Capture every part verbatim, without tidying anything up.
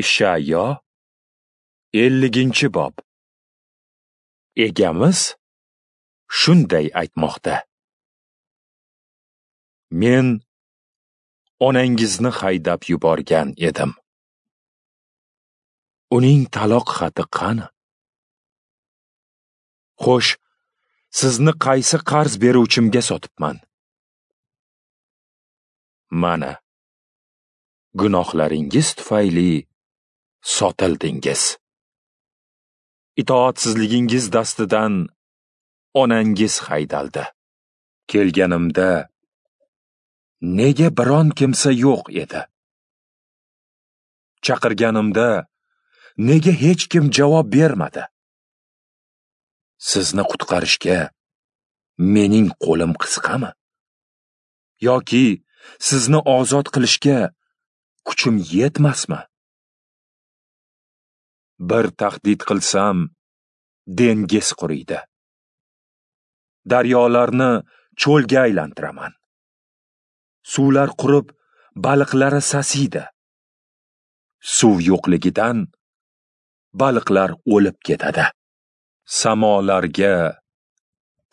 Ishayo elliginchi bob. Egamiz shunday aytmoqda: Men onangizni haydab yuborgan edim. Uning taloq xati qani? Xo'sh, sizni qaysi qarz beruvchimga sotibman? Mana, gunohlaringiz tufayli sotildingiz. Itoatsizligingiz dastidan onangiz haydaldi. Kelganimda nega biron kimsa yo'q edi? Chaqirganimda nega hech kim javob bermadi? Sizni qutqarishga mening qo'lim qisqami? Yoki sizni ozod qilishga kuchim yetmasmi? Bir tahdid qilsam, dengiz quriydi. Daryolarni cho'lga aylantiraman. Suvlar qurib, baliqlari sasiydi. Suv yo'qligidan baliqlar o'lib ketadi. Samolarga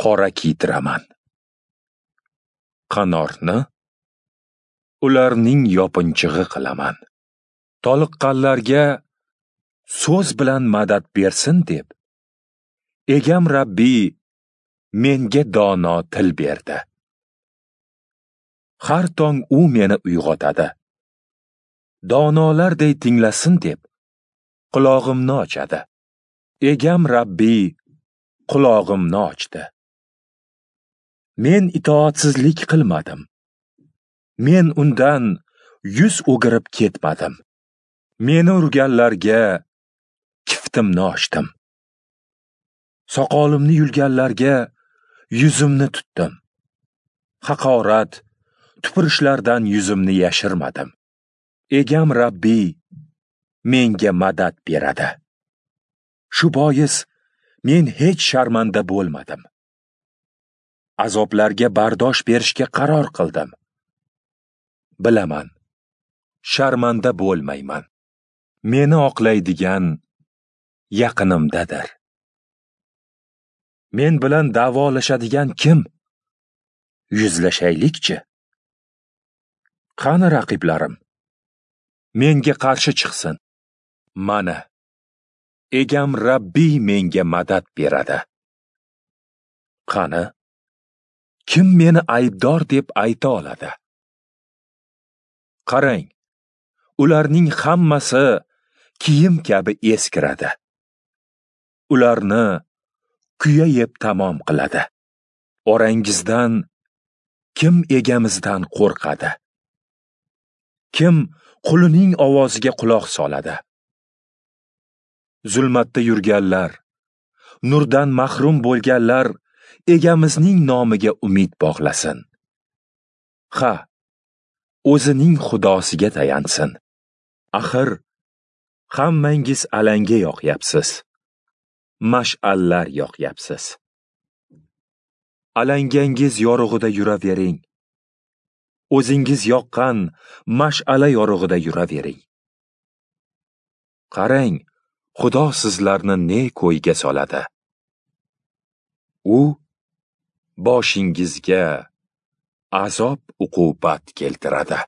qora kiydiraman. Qanorni ularning yopinchig'i qilaman. Toliqqanlarga so'z bilan madad bersin deb, Egam Rabbiy menga dono til berdi. Har tong u meni uyg'otadi. Donolarday tinglasin deb qulog'imni ochadi. Egam Rabbiy qulog'imni ochdi. Men itoatsizlik qilmadim. Men undan yuz o'girib ketmadim. Meni urganlarga kiftimni ochdim. Soqolimni yulganlarga yuzimni tutdim. Haqorat, tupurishlardan yuzimni yashirmadim. Egam Rabbiy menga madad beradi. Shu bois men hech sharmanda bo'lmadim. Azoblarga bardosh berishga qaror qildim. Bilaman, sharmanda bo'lmayman. Meni oqlaydigan yaqinimdadir. Men bilan da'volashadigan kim? Yuzlashaylikchi. Qani raqiblarim? Menga qarshi chiqsin. Mana, Egam Rabbiy menga madad beradi. Qani, kim meni aybdor deb ayta oladi? Qarang, ularning hammasi kiyim kabi eskiradi. Ularni kuya yeb tamom qiladi. Orangizdan kim egamizdan qo'rqadi? Kim qulining ovoziga quloq soladi? Zulmatda yurganlar, nurdan mahrum bo'lganlar egamizning nomiga umid bog'lasin. Ha, o'zining Xudosiga tayansin. Axir, hammangiz alanga yoqyapsiz. Mash'allar yoqyapsiz. Alangangiz yorug'ida yuravering. O'zingiz yoqqan mash'ala yorug'ida yuravering. Qarang, Xudo sizlarni ne ko'yga soladi. U boshingizga azob uqubat keltiradi.